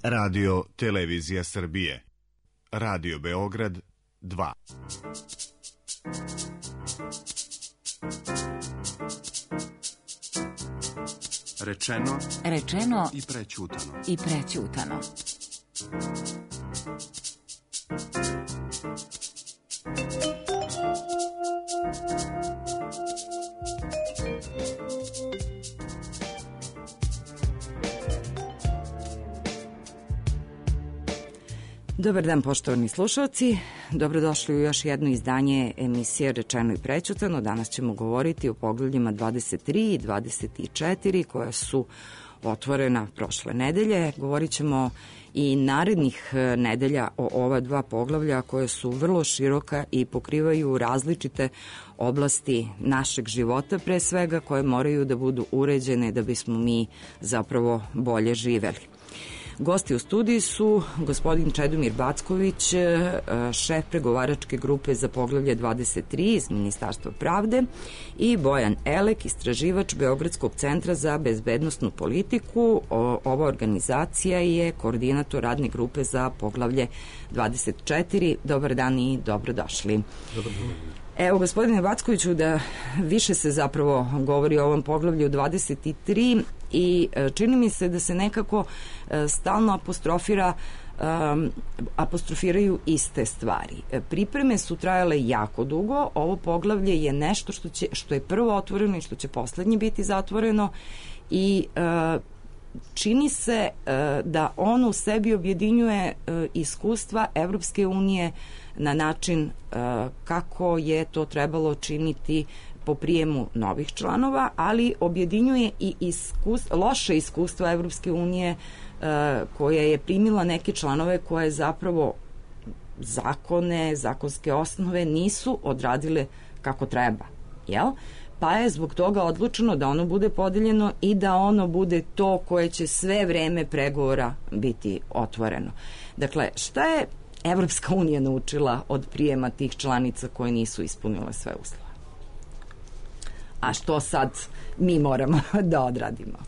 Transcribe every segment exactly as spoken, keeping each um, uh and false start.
Radio Televizija Srbije. Radio Beograd dva. Rečeno, rečeno i prećutano. I prećutano. Dobar dan, poštovani slušalci. Dobrodošli u još jedno izdanje emisije Rečeno i prećutano. Danas ćemo govoriti o poglavljima dvadeset tri i dvadeset četiri koja su otvorena prošle nedelje. Govorit ćemo i narednih nedelja o ova dva poglavlja koje su vrlo široka i pokrivaju različite oblasti našeg života, pre svega koje moraju da budu uređene da bismo mi zapravo bolje živeli. Gosti u studiji su gospodin Čedomir Backović, šef pregovaračke grupe za poglavlje dvadeset tri iz Ministarstva pravde, i Bojan Elek, istraživač Beogradskog centra za bezbednosnu politiku. Ova organizacija je koordinator radne grupe za poglavlje dvadeset četiri. Dobar dan i dobrodošli. Dobar dan. Evo, gospodine Backoviću, da više se zapravo govori o ovom poglavlju dvadeset tri i čini mi se da se nekako stalno apostrofira um, apostrofiraju iste stvari. Pripreme su trajale jako dugo, ovo poglavlje je nešto što, će, što je prvo otvoreno i što će poslednje biti zatvoreno i uh, čini se uh, da ono u sebi objedinjuje uh, iskustva Evropske unije na način uh, kako je to trebalo činiti po prijemu novih članova, ali objedinjuje i iskustva, loše iskustva Evropske unije uh, koja je primila neke članove koje zapravo zakone, zakonske osnove nisu odradile kako treba, jel? Pa je zbog toga odlučeno da ono bude podeljeno i da ono bude to koje će sve vreme pregovora biti otvoreno. Dakle, šta je Evropska unija naučila od prijema tih članica koje nisu ispunile sve uslove? A što sad mi moramo da odradimo?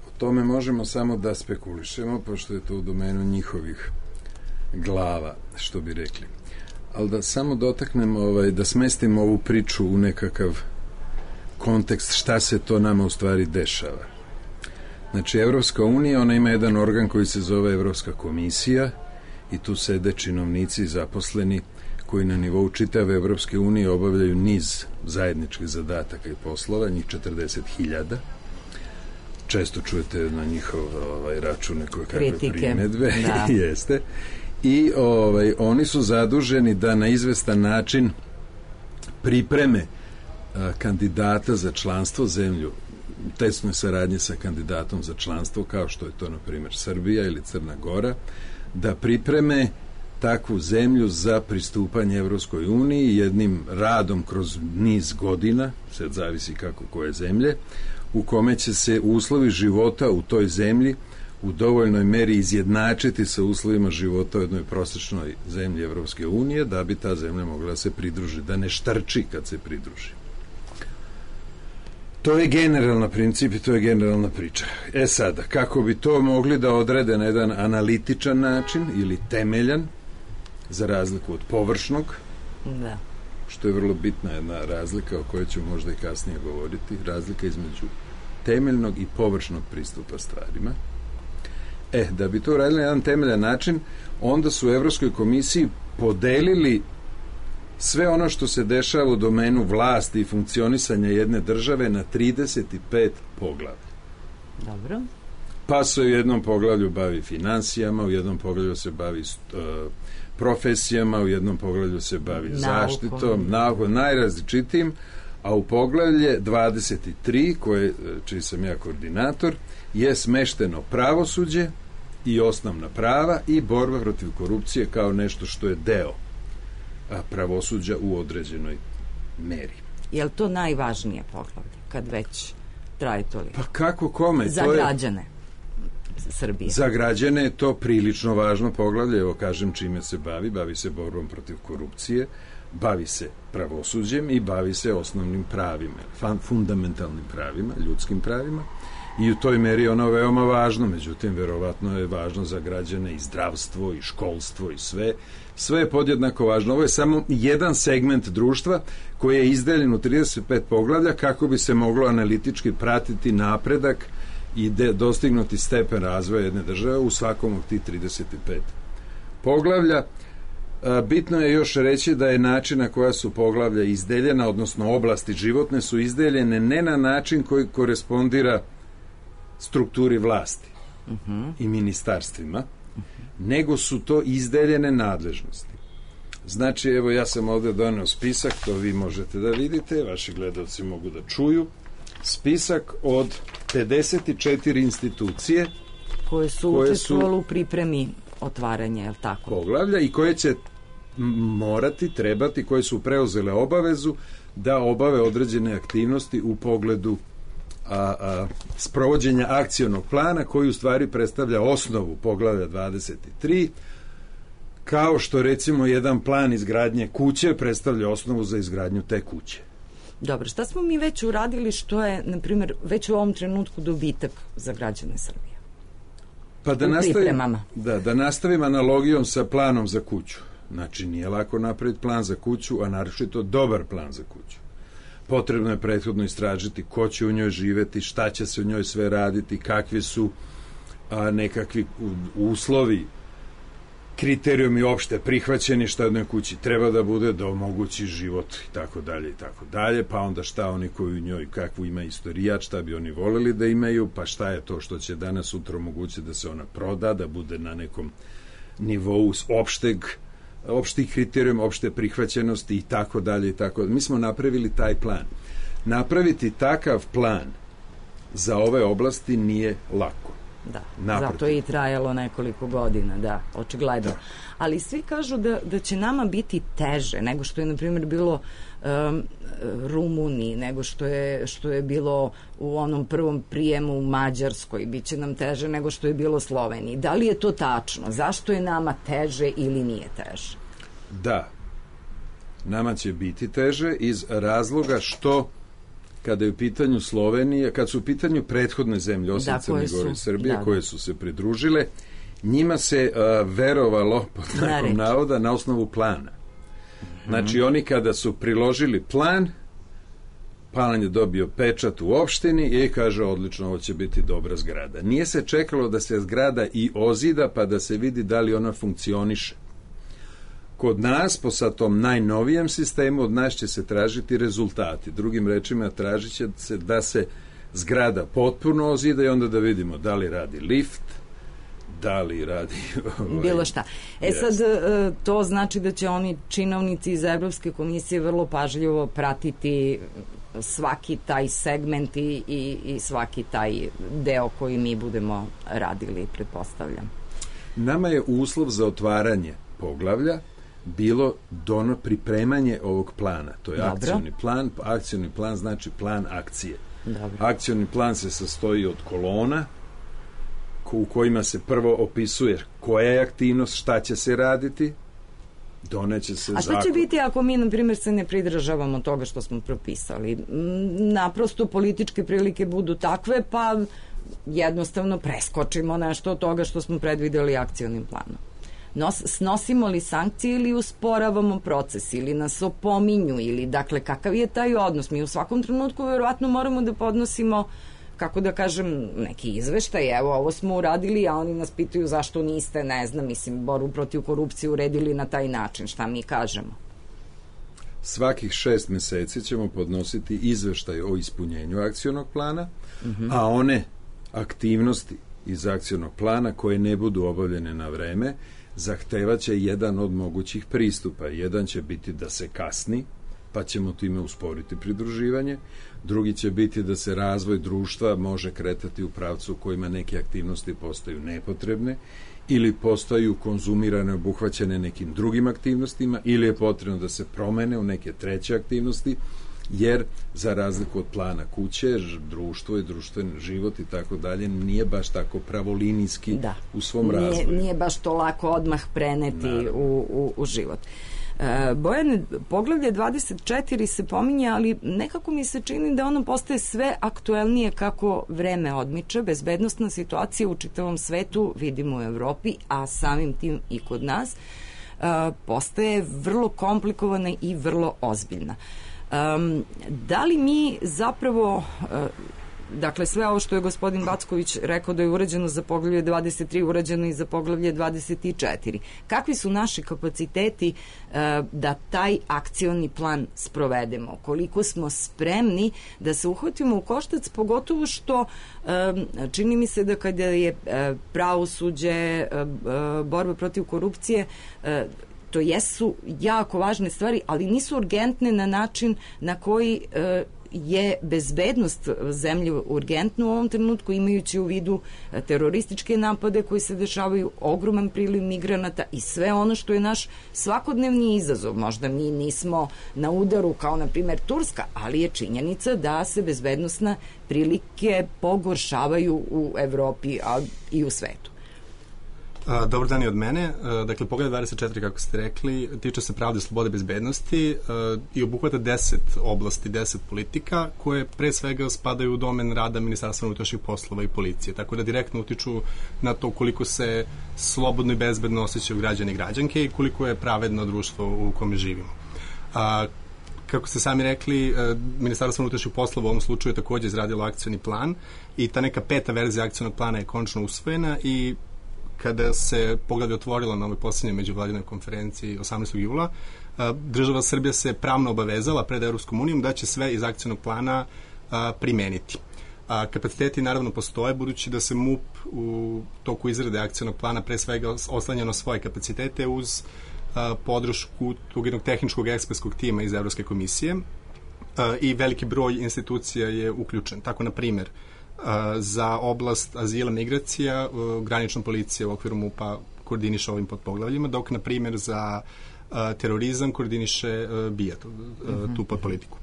O tome možemo samo da spekulišemo, pošto je to u domenu njihovih glava, što bi rekli. Ali da samo dotaknemo, ovaj, da smestimo ovu priču u nekakav kontekst šta se to nama u stvari dešava. Znači, Evropska unija, ona ima jedan organ koji se zove Evropska komisija i tu sede činovnici zaposleni koji na nivou čitave Evropske unije obavljaju niz zajedničkih zadataka i poslova, njih četrdeset hiljada. Često čujete na njihov ovaj, račun nekoj kakve primedbe. Da. Jeste. I ovaj, oni su zaduženi da na izvestan način pripreme a, kandidata za članstvo zemlju, tesnoj saradnje sa kandidatom za članstvo, kao što je to, na primjer, Srbija ili Crna Gora, da pripreme takvu zemlju za pristupanje Evropskoj uniji jednim radom kroz niz godina, sad zavisi kako koje zemlje, u kome će se uslovi života u toj zemlji u dovoljnoj meri izjednačiti sa uslovima života u jednoj prosečnoj zemlji Evropske unije, da bi ta zemlja mogla da se pridruži, da ne štrči kad se pridruži. To je generalna princip i to je generalna priča. E sada, kako bi to mogli da odrede na jedan analitičan način ili temeljan, za razliku od površnog, da. Što je vrlo bitna jedna razlika o kojoj ću možda i kasnije govoriti, razlika između temeljnog i površnog pristupa stvarima. E, da bi to uradili na jedan temeljan način, onda su u Evropskoj komisiji podelili sve ono što se dešava u domenu vlasti i funkcionisanja jedne države na trideset pet poglavlja. Dobro. Pa se u jednom poglavlju bavi finansijama, u jednom poglavlju se bavi uh, profesijama, u jednom poglavlju se bavi naukom, zaštitom, naukom, najrazličitijim, a u poglavlje dvadeset tri, koje, čiji sam ja koordinator, je smešteno pravosuđe i osnovna prava i borba protiv korupcije kao nešto što je deo pravosuđa u određenoj meri. Je li to najvažnije poglavlje, kad već traje toliko? Pa kako kome? Za to građane je, Srbije. Za građane je to prilično važno poglavlje. Evo kažem čime se bavi. Bavi se borbom protiv korupcije, bavi se pravosuđem i bavi se osnovnim pravima, fundamentalnim pravima, ljudskim pravima. i u toj meri ono veoma važno, međutim verovatno je važno za građane i zdravstvo i školstvo i sve, sve je podjednako važno. Ovo je samo jedan segment društva koji je izdeljen u trideset pet poglavlja kako bi se moglo analitički pratiti napredak i de, dostignuti stepen razvoja jedne države u svakom od tih trideset pet poglavlja. Bitno je još reći da je način na koja su poglavlja izdeljena, odnosno oblasti životne su izdeljene ne na način koji korespondira strukturi vlasti uh-huh. i ministarstvima, uh-huh. nego su to izdeljene nadležnosti. Znači, evo ja sam ovdje doneo spisak, to vi možete da vidite, vaši gledalci mogu da čuju, spisak od pedeset četiri institucije koje su učestvovali u pripremi otvaranja, je li tako? Poglavlja i koje će morati, trebati, koje su preuzele obavezu da obave određene aktivnosti u pogledu a, a, sprovođenja akcionog plana koji u stvari predstavlja osnovu poglavlja dvadeset tri, kao što recimo jedan plan izgradnje kuće predstavlja osnovu za izgradnju te kuće. Dobro, šta smo mi već uradili što je, na primjer, već u ovom trenutku dobitak za građane Srbije? Pa da nastavim, da, da nastavim analogijom sa planom za kuću. Znači, nije lako napraviti plan za kuću, a naročito dobar plan za kuću. Potrebno je prethodno istražiti ko će u njoj živeti, šta će se u njoj sve raditi, kakvi su a, nekakvi uslovi, kriterijumi opšte prihvaćeni, šta u jednoj kući treba da bude da omogući život i tako dalje i tako dalje, pa onda šta oni koji u njoj, kakvu ima istorijat, šta bi oni voleli da imaju, pa šta je to što će danas sutra omogućiti da se ona proda, da bude na nekom nivou opšteg, opštih kriterijuma, opšte prihvaćenosti i tako dalje i tako dalje. Mi smo napravili taj plan. Napraviti takav plan za ove oblasti nije lako. Da, naprotiv. Zato je i trajalo nekoliko godina, da, očigledno. Da. Ali svi kažu da, da će nama biti teže nego što je, na primjer, bilo um, Rumuniji, nego što je, što je bilo u onom prvom prijemu u Mađarskoj, bit će nam teže nego što je bilo Sloveniji. Da li je to tačno? Zašto je nama teže ili nije teže? Da, nama će biti teže iz razloga što kada je u pitanju Slovenija, kad su u pitanju prethodne zemlje, osim Crne Gore i Srbije, da, koje su se pridružile, njima se uh, verovalo, pod znakom navoda, na osnovu plana. Mm-hmm. Znači, oni kada su priložili plan, plan je dobio pečat u opštini i kaže, odlično, ovo će biti dobra zgrada. Nije se čekalo da se zgrada i ozida, pa da se vidi da li ona funkcioniše. Kod nas, po sa tom najnovijem sistemu, od nas će se tražiti rezultati. Drugim rečima, tražit će se da se zgrada potpuno ozida i onda da vidimo da li radi lift, da li radi... Ovaj, bilo šta. E jest. Sad, to znači da će oni činovnici iz Evropske komisije vrlo pažljivo pratiti svaki taj segment i, i, i svaki taj deo koji mi budemo radili, pretpostavljam. Nama je uslov za otvaranje poglavlja bilo dono pripremanje ovog plana. To je Dobro. akcioni plan. Akcioni plan znači plan akcije. Dobro. Akcioni plan se sastoji od kolona u kojima se prvo opisuje koja je aktivnost, šta će se raditi, doneće se zakon. A šta zakon. će biti ako mi, na primjer, se ne pridržavamo toga što smo propisali? Naprosto političke prilike budu takve, pa jednostavno preskočimo nešto od toga što smo predvideli akcionim planom. Nos, snosimo li sankcije ili usporavamo proces ili nas opominju ili, dakle, kakav je taj odnos? Mi u svakom trenutku verovatno moramo da podnosimo, kako da kažem, neki izveštaj, evo, ovo smo uradili, a oni nas pitaju zašto niste, ne znam, mislim, borbu protiv korupcije uredili na taj način, šta mi kažemo? Svakih šest meseci ćemo podnositi izveštaj o ispunjenju akcionog plana, mm-hmm. a one aktivnosti iz akcionog plana koje ne budu obavljene na vreme zahtevaće jedan od mogućih pristupa. Jedan će biti da se kasni, pa ćemo time usporiti pridruživanje. Drugi će biti da se razvoj društva može kretati u pravcu u kojima neke aktivnosti postaju nepotrebne ili postaju konzumirane, obuhvaćene nekim drugim aktivnostima ili je potrebno da se promene u neke treće aktivnosti, jer za razliku od plana kuće, društvo i društveni život i tako dalje nije baš tako pravolinijski da. u svom nije, razvoju. Nije baš to lako odmah preneti u, u, u život. Bojane, poglavlje dvadeset četiri se pominje, ali nekako mi se čini da ono postaje sve aktuelnije kako vreme odmiče. Bezbednostna situacija u čitavom svetu, vidimo u Evropi, a samim tim i kod nas, postaje vrlo komplikovana i vrlo ozbiljna. Da li mi zapravo... Dakle, sve ovo što je gospodin Backović rekao da je urađeno za poglavlje dvadeset tri, urađeno i za poglavlje dvadeset četiri. Kakvi su naši kapaciteti uh, da taj akcioni plan sprovedemo? Koliko smo spremni da se uhvatimo u koštac, pogotovo što uh, čini mi se da kada je uh, pravosuđe, uh, uh, borba protiv korupcije, uh, to jesu jako važne stvari, ali nisu urgentne na način na koji uh, je bezbednost zemlje urgentna u ovom trenutku, imajući u vidu terorističke napade koji se dešavaju, ogroman priliv migranata i sve ono što je naš svakodnevni izazov. Možda mi nismo na udaru kao na primjer Turska, ali je činjenica da se bezbednostne prilike pogoršavaju u Evropi, a i u svetu. Dobar dan i od mene. Dakle, poglavlje dvadeset četiri, kako ste rekli, tiče se pravde, slobode, bezbednosti i obuhvata deset oblasti, deset politika koje pre svega spadaju u domen rada Ministarstva unutrašnjih poslova i policije, tako da direktno utiču na to koliko se slobodno i bezbedno osjećaju građani i građanke i koliko je pravedno društvo u kome živimo. A, kako ste sami rekli, Ministarstvo unutrašnjih poslova u ovom slučaju je takođe izradilo akcioni plan i ta neka peta verzija akcionog plana je konačno usvojena i kada se poglavlje otvorilo na ovoj posljednjoj međuvladinoj konferenciji osamnaestog jula, država Srbija se pravno obavezala pred Evropskom unijom da će sve iz akcionog plana primeniti. Kapaciteti naravno postoje, budući da se M U P u toku izrade akcionog plana pre svega oslanja na svoje kapacitete uz podršku tog jednog tehničkog ekspertskog tima iz Evropske komisije i veliki broj institucija je uključen. Tako, na primjer, za oblast azila, migracija, granična policija u okviru M U P-a koordiniše ovim podpoglavljima, dok, na primjer, za terorizam koordiniše B I A, tu, mm-hmm. tu podpolitiku.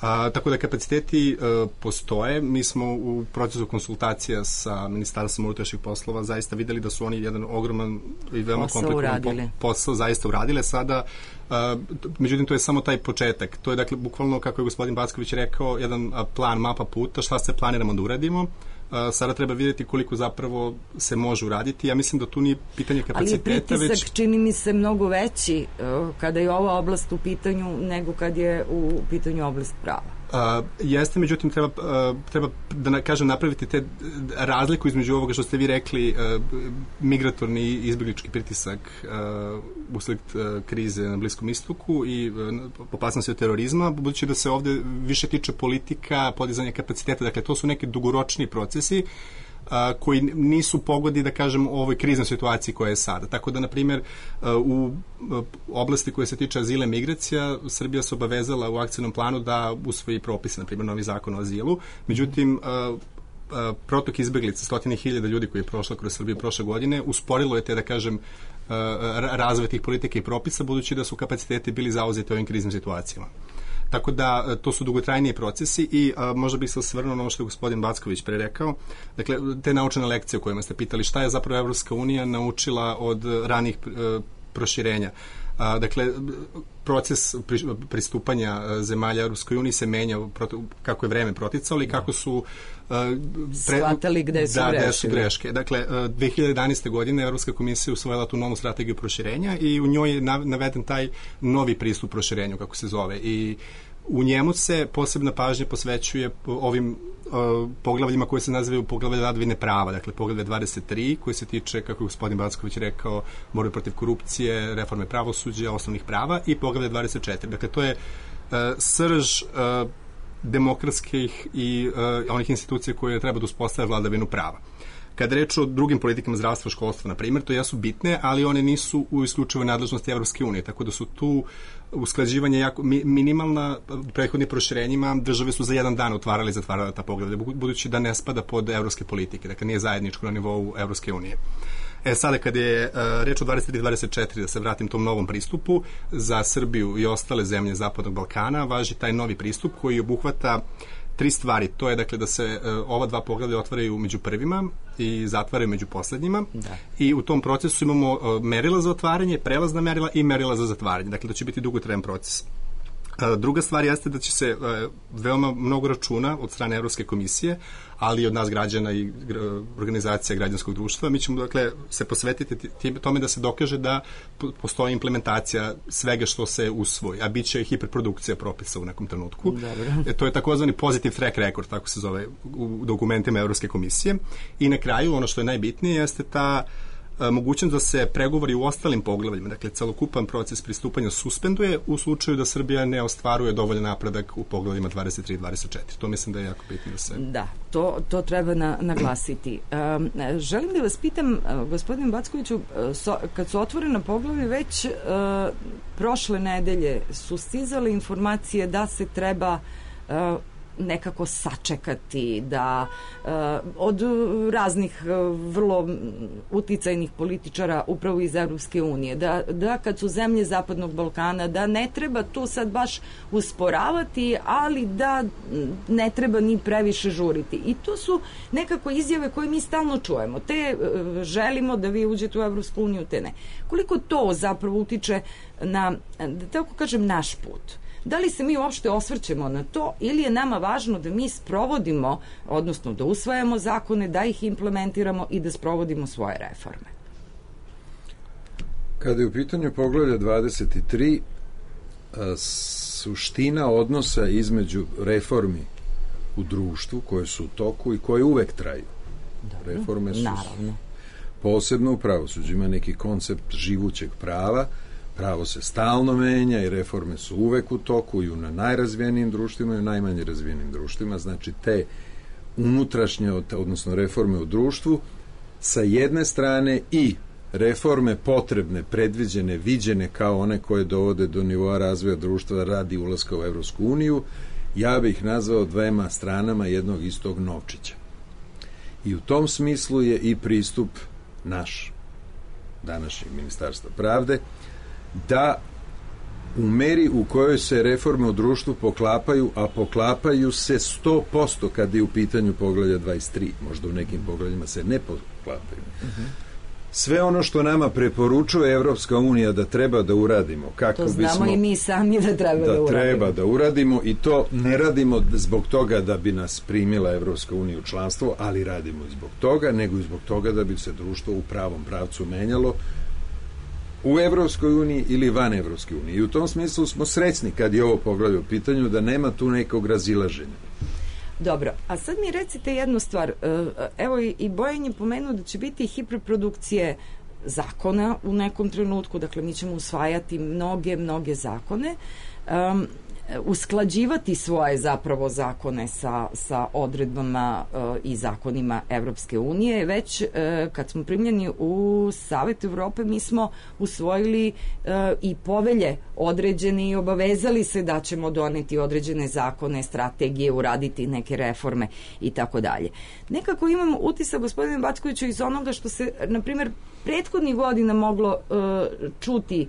A, tako da kapaciteti a, postoje. Mi smo u procesu konsultacija sa Ministarstvom unutrašnjih poslova zaista videli da su oni jedan ogroman i veoma komplikovan po, posao zaista uradile sada. A, međutim, to je samo taj početak. To je, dakle, bukvalno, kako je gospodin Backović rekao, jedan a, plan, mapa puta, šta se planiramo da uradimo. Uh, sada treba vidjeti koliko zapravo se može uraditi. Ja mislim da tu nije pitanje kapaciteta. Ali je pritisak, već... čini mi se, mnogo veći uh, kada je ova oblast u pitanju nego kad je u pitanju oblast prava. Uh, jeste, međutim, treba, uh, treba da kažem napraviti te razliku između ovoga što ste vi rekli, uh, migratorni i izbjeglički pritisak uh, usled uh, krize na Bliskom istoku i uh, opasnosti od terorizma, budući da se ovde više tiče politika, podizanja kapaciteta, dakle to su neki dugoročni procesi a, koji nisu pogodi, da kažem, u ovoj kriznoj situaciji koja je sada. Tako da, na primjer, u oblasti koje se tiče azila i migracija, Srbija se obavezala u akcijnom planu da usvoji propise, na primjer, novi zakon o azilu. Međutim, protok izbeglica, stotine hiljada ljudi koji je prošla kroz Srbiju prošle godine, usporilo je te, da kažem, razvoj tih politika i propisa, budući da su kapaciteti bili zauzeti ovim kriznim situacijama. Tako da to su dugotrajniji procesi i a, možda bih se osvrnuo na ono što je gospodin Backović pre rekao. Dakle, te naučene lekcije o kojima ste pitali, šta je zapravo Evropska unija naučila od ranih e, proširenja. A, dakle, proces pri, pristupanja zemalja Evropskoj uniji se menja kako je vreme proticalo i kako su a, pre, shvatali gde su, da, greške. Gde su greške. Dakle, dve hiljade jedanaeste. godine Evropska komisija usvojila tu novu strategiju proširenja i u njoj je naveden taj novi pristup proširenju, kako se zove. I u njemu se posebna pažnja posvećuje ovim uh, poglavljima koje se nazivaju poglavlje vladavine prava, dakle poglavlje dvadeset tri koje se tiče, kako je gospodin Backović rekao, borbe protiv korupcije, reforme pravosuđa, osnovnih prava, i poglavlje dvadeset četiri. Dakle, to je uh, srž uh, demokratskih i uh, onih institucija koje treba da uspostave vladavinu prava. Kada reč o drugim politikama zdravstva, školstva, na primjer, to jesu bitne, ali one nisu u isključivoj nadležnosti Evropske unije, tako da su tu usklađivanje jako minimalna. Prethodnim proširenjima države su za jedan dan otvarali i zatvarali ta poglavlja, budući da ne spada pod evropske politike, dakle nije zajedničko na nivou Evropske unije. E sada, kada je uh, reč o dvadeset tri dvadeset četiri, da se vratim tom novom pristupu, za Srbiju i ostale zemlje Zapadnog Balkana važi taj novi pristup koji obuhvata tri stvari. To je dakle da se uh, ova dva poglavlja otvaraju među prvima i zatvaraju među poslednjima. Da. I u tom procesu imamo uh, merila za otvaranje, prelazna merila i merila za zatvaranje. Dakle, to će biti dugotrajan proces. Druga stvar jeste da će se veoma mnogo računa od strane Evropske komisije, ali i od nas građana i organizacija građanskog društva. Mi ćemo dakle se posvetiti tome da se dokaže da postoji implementacija svega što se usvoji, a bit će hiperprodukcija propisa u nekom trenutku. E, to je takozvani positive track record, tako se zove u dokumentima Evropske komisije. I na kraju, ono što je najbitnije, jeste ta mogućnost da se pregovori u ostalim poglavljima, dakle celokupan proces pristupanja suspenduje u slučaju da Srbija ne ostvaruje dovoljan napredak u poglavljima dvadeset tri i dvadeset četiri. To mislim da je jako bitno da se... Da, to, to treba na, naglasiti. Um, želim da vas pitam, uh, gospodin Backoviću, uh, so, kad su otvorena poglavlje, već uh, prošle nedelje su stizale informacije da se treba uh, nekako sačekati, da uh, od raznih uh, vrlo uticajnih političara upravo iz Evropske unije, da, da kad su zemlje Zapadnog Balkana, da ne treba tu sad baš usporavati, ali da ne treba ni previše žuriti. I to su nekako izjave koje mi stalno čujemo. Te uh, želimo da vi uđete u Evropsku uniju, te ne. Koliko to zapravo utiče na, da tako kažem, naš put? Da li se mi uopšte osvrćemo na to ili je nama važno da mi sprovodimo, odnosno da usvajamo zakone, da ih implementiramo i da sprovodimo svoje reforme? Kada je u pitanju poglavlja dvadeset tri, suština odnosa između reformi u društvu koje su u toku i koje uvek traju. Dobro, reforme su naravno. Posebno u pravosuđu ima neki koncept živućeg prava. Pravo se stalno menja i reforme su uvek u toku i u najrazvijenijim društvima i u najmanje razvijenim društvima. Znači te unutrašnje, odnosno reforme u društvu, sa jedne strane i reforme potrebne, predviđene, viđene kao one koje dovode do nivoa razvoja društva radi ulaska u Evropsku uniju, ja bih nazvao dvema stranama jednog istog novčića. I u tom smislu je i pristup naš, današnjeg Ministarstva pravde, da u meri u kojoj se reforme u društvu poklapaju, a poklapaju se sto posto kad je u pitanju poglavlja dvadeset tri, možda u nekim poglavljima se ne poklapaju. Uh-huh. Sve ono što nama preporučuje Evropska unija da treba da uradimo, kako to znamo bismo, i mi sami da treba da, da uradimo. treba da uradimo i to ne radimo zbog toga da bi nas primila Evropska unija u članstvo, ali radimo i zbog toga, nego i zbog toga da bi se društvo u pravom pravcu menjalo u Evropskoj uniji ili van Evropske unije. I u tom smislu smo srećni kad je ovo poglavlje u pitanju da nema tu nekog razilaženja. Dobro, a sad mi recite jednu stvar. Evo i Bojan je pomenuo da će biti hiperprodukcije zakona u nekom trenutku, dakle mi ćemo usvajati mnoge, mnoge zakone, um, usklađivati svoje zapravo zakone sa, sa odredbama uh, i zakonima Evropske unije. Već uh, kad smo primljeni u Savet Evrope, mi smo usvojili uh, i povelje određene i obavezali se da ćemo doneti određene zakone, strategije, uraditi neke reforme i tako dalje. Nekako imam utisak, gospodine Backoviću, iz onoga što se, na primjer, prethodnih godina moglo uh, čuti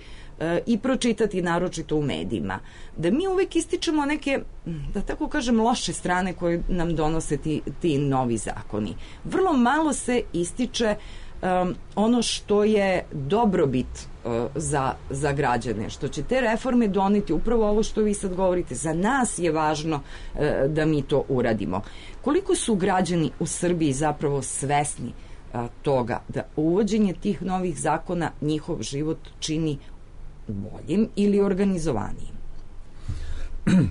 i pročitati naročito u medijima, da mi uvek ističemo neke, da tako kažem, loše strane koje nam donose ti, ti novi zakoni. Vrlo malo se ističe um, ono što je dobrobit uh, za, za građane, što će te reforme doneti, upravo ovo što vi sad govorite, za nas je važno uh, da mi to uradimo. Koliko su građani u Srbiji zapravo svesni uh, toga da uvođenje tih novih zakona njihov život čini boljim ili organizovanijim?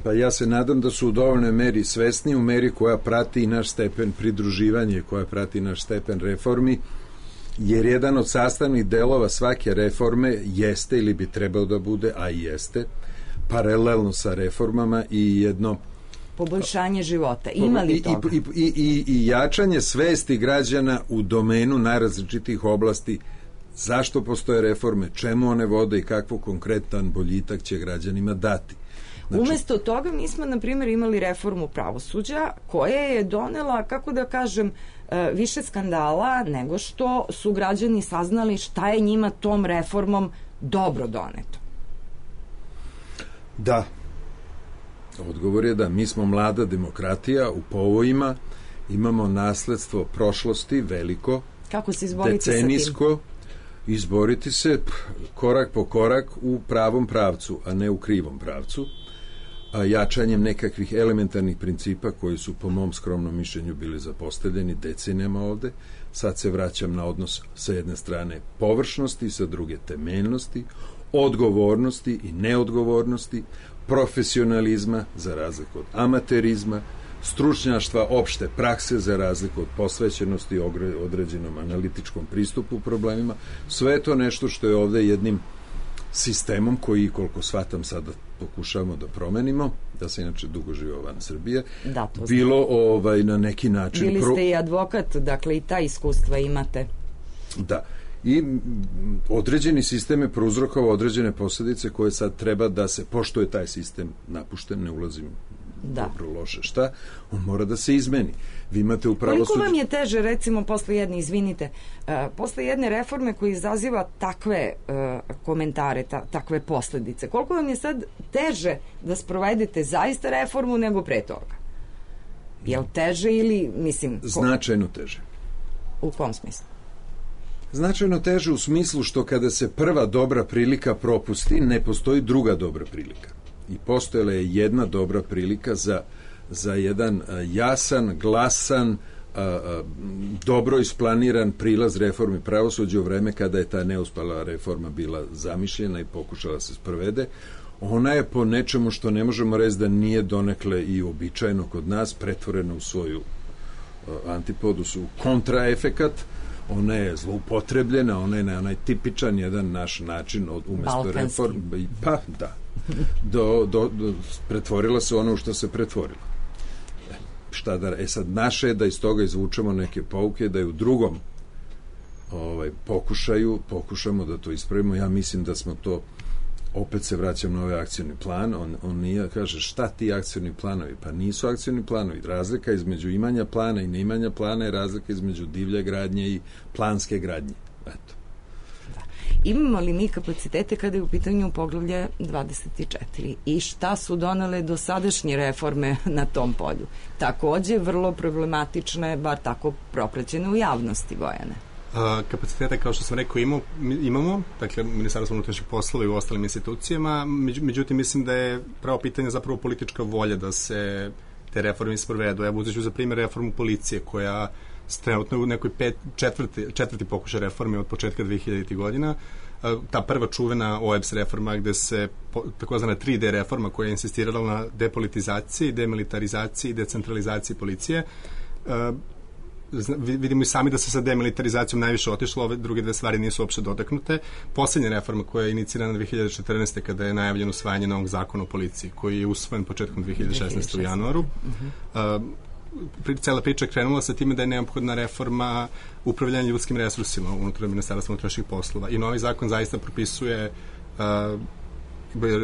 Pa ja se nadam da su u dovoljnoj meri svesni, u meri koja prati i naš stepen pridruživanja, koja prati naš stepen reformi, jer jedan od sastavnih delova svake reforme jeste ili bi trebao da bude, a i jeste, paralelno sa reformama i jedno poboljšanje života. Ima li toga? I, i, i, i jačanje svesti građana u domenu najrazličitih oblasti. Zašto postoje reforme, čemu one vode i kakvo konkretan boljitak će građanima dati. Znači, umesto toga mi smo, na primjer, imali reformu pravosuđa koja je donela, kako da kažem, više skandala nego što su građani saznali šta je njima tom reformom dobro doneto. Da. Odgovor je da mi smo mlada demokratija u povojima, imamo nasledstvo prošlosti veliko, kako se izboriti decenijsko, sa tim? Izboriti se korak po korak u pravom pravcu, a ne u krivom pravcu, a jačanjem nekakvih elementarnih principa koji su po mom skromnom mišljenju bili zapostavljeni decenijama ovde. Sad se vraćam na odnos sa jedne strane površnosti, sa druge temeljnosti, odgovornosti i neodgovornosti, profesionalizma za razliku od amaterizma, stručnjaštva opšte prakse za razliku od posvećenosti određenom analitičkom pristupu problemima. Sve je to nešto što je ovde jednim sistemom koji, koliko shvatam, sada pokušavamo da promenimo, da se inače dugo žive van Srbije, da, bilo ovaj, na neki način... Bili ste i advokat, dakle i ta iskustva imate. Da. I određeni sistem je prouzrokovao određene posljedice koje sad treba da se, pošto je taj sistem napušten, ne ulazim da. dobro, loše, šta, on mora da se izmeni. Vi imate u pravosuđu... Koliko vam je teže, recimo, posle jedne, izvinite, uh, posle jedne reforme koja izaziva takve uh, komentare, ta, takve posljedice, koliko vam je sad teže da sprovedete zaista reformu nego pre toga? Je li teže ili, mislim... Ko... Značajno teže. U kom smislu? Značajno teže u smislu što kada se prva dobra prilika propusti, ne postoji druga dobra prilika. I postojala je jedna dobra prilika za, za jedan jasan, glasan, a, a, dobro isplaniran prilaz reformi pravosuđa u vreme kada je ta neuspala reforma bila zamišljena i pokušala se sprovede. Ona je po nečemu što ne možemo reći da nije donekle i uobičajeno kod nas pretvorena u svoju a, antipodu, su kontraefekat. Ona je zloupotrebljena, ona je na onaj tipičan jedan naš način od umesto reform, pa da, do, do, do, pretvorila se ono u što se pretvorila. E, šta da, e sad naše je da iz toga izvučemo neke pouke, da je u drugom ovaj, pokušaju, pokušamo da to ispravimo. Ja mislim da smo to, opet se vraćam na ovaj akcioni plan, on, on nije, kaže, šta ti akcioni planovi? Pa nisu akcioni planovi. Razlika između imanja plana i neimanja plana je razlika između divlje gradnje i planske gradnje. Eto. Da. Imamo li mi kapacitete kada je u pitanju poglavlje dvadeset četiri i šta su donele dosadašnje reforme na tom polju? Takođe vrlo problematične, bar tako propraćene u javnosti, Bojane. Uh, kapacitete, kao što sam rekao, imamo, imamo dakle, Ministarstvo unutrašnjih poslova i u ostalim institucijama, među, međutim, mislim da je pravo pitanje zapravo politička volja da se te reforme sprovedu. Evo, uzet ću za primjer reformu policije, koja trenutno u nekoj pet, četvrti, četvrti pokušaj reforme od početka dve hiljaditih godina. Uh, ta prva čuvena O E B S reforma, gde se, po, takozvana tri D reforma, koja je insistirala na depolitizaciji, demilitarizaciji i decentralizaciji policije, uh, vidimo i sami da se sa demilitarizacijom najviše otišlo, ove druge dve stvari nisu uopšte dotaknute. Poslednja reforma koja je inicirana dve hiljade četrnaeste. kada je najavljeno usvajanje novog zakona o policiji, koji je usvojen početkom dve hiljade šesnaeste. u januaru. Uh-huh. Uh, cela priča krenula sa time da je neophodna reforma upravljanja ljudskim resursima unutar Ministarstva unutrašnjih poslova. I novi zakon zaista propisuje uh,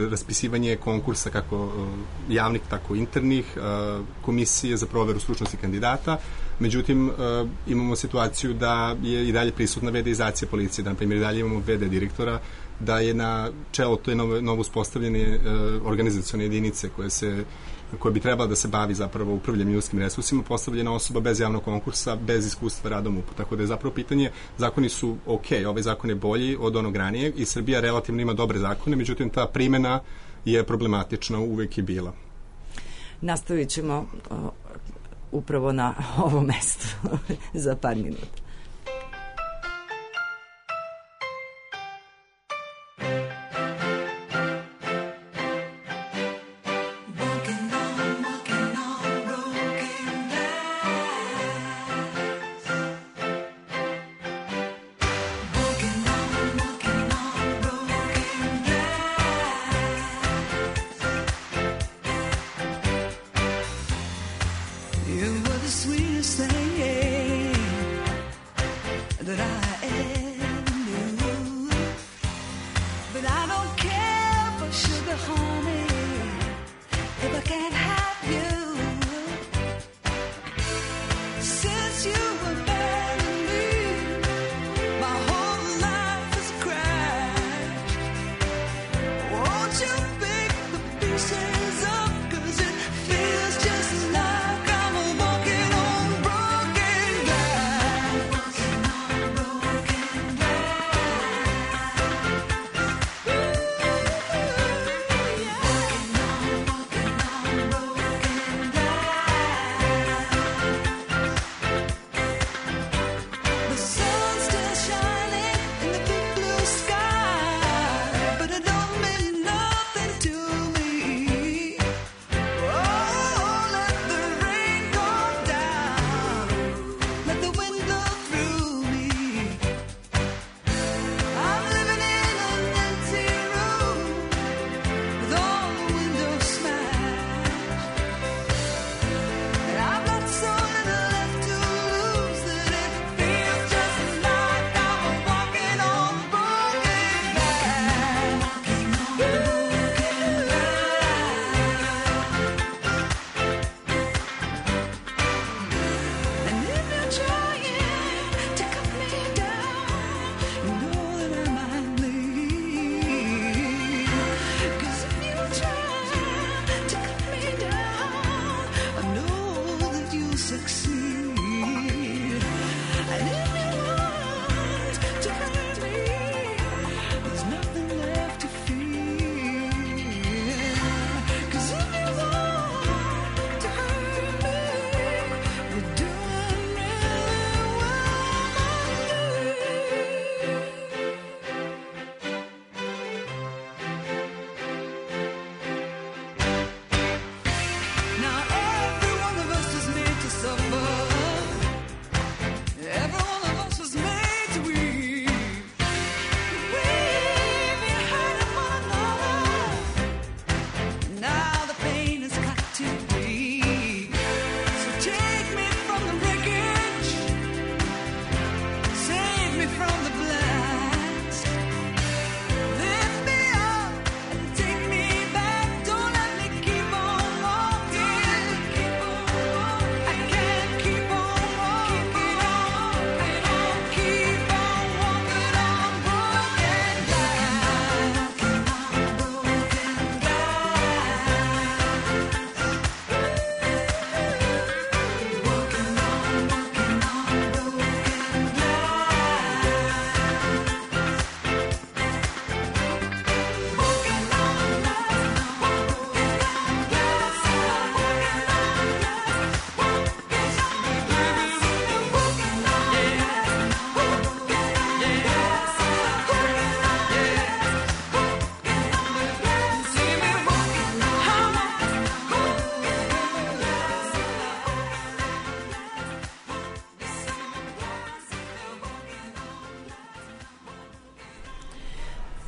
raspisivanje konkursa kako uh, javnih, tako internih, uh, komisije za proveru stručnosti kandidata. Međutim, uh, imamo situaciju da je i dalje prisutna vedeizacija policije, da, na primjer, i dalje imamo ve de direktora, da je na čelo to je novo, novo uspostavljene uh, organizacione jedinice koje se koja bi trebala da se bavi zapravo upravljanjem ljudskim resursima, postavljena osoba bez javnog konkursa, bez iskustva radom u. Tako da je zapravo pitanje, zakoni su ok, ovaj zakon je bolji od onog ranijeg i Srbija relativno ima dobre zakone, međutim ta primjena je problematična, uvek je bila. Nastavit ćemo uh, upravo na ovom mestu za par minuta. You were the sweetest thing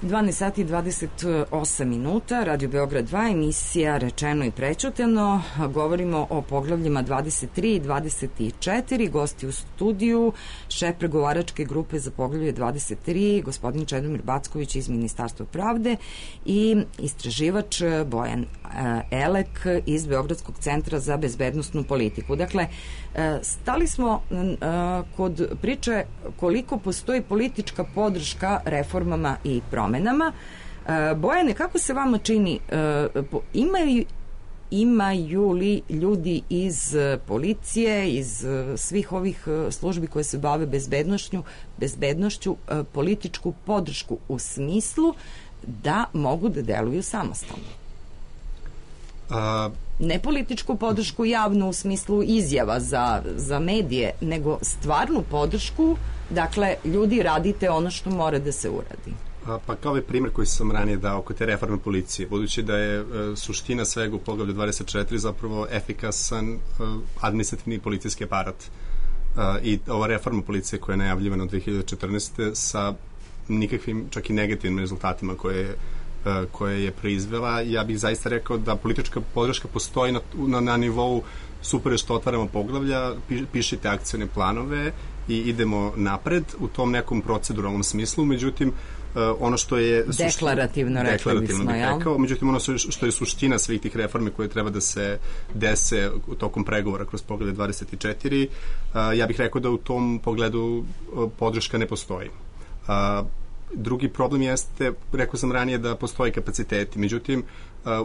dvanaest sati i dvadeset osam minuta, Radio Beograd dva, emisija Rečeno i prećutano. Govorimo o poglavljima dvadeset tri i dvadeset četiri. Gosti u studiju, šef pregovaračke grupe za poglavlje dvadeset tri, gospodin Čedomir Backović iz Ministarstva pravde i istraživač Bojan Elek iz Beogradskog centra za bezbednosnu politiku. Dakle, stali smo kod priče koliko postoji politička podrška reformama i promenama. Bojane, kako se vama čini, imaju, imaju li ljudi iz policije, iz svih ovih službi koje se bave bezbednošću, bezbednošću političku podršku u smislu da mogu da deluju samostalno? A... Ne političku podršku javnu u smislu izjava za, za medije, nego stvarnu podršku, dakle, ljudi radite ono što mora da se uradi. A, pa kao ovaj primjer koji sam ranije dao oko te reforme policije, budući da je e, suština svega u poglavlju dvadeset četiri zapravo efikasan e, administrativni policijski aparat. E, I ova reforma policije koja je najavljivana od dve hiljade četrnaeste. sa nikakvim, čak i negativnim rezultatima koje je koje je proizvela, ja bih zaista rekao da politička podrška postoji na, na, na nivou super što otvaramo poglavlja, pišite akcione planove i idemo napred u tom nekom proceduralnom smislu, međutim ono što je deklarativno, deklarativno bih rekao, međutim ono što je suština svih tih reformi koje treba da se dese u tokom pregovora kroz poglavlje dvadeset četiri, ja bih rekao da u tom pogledu podrška ne postoji. Drugi problem jeste, rekao sam ranije, da postoje kapaciteti. Međutim,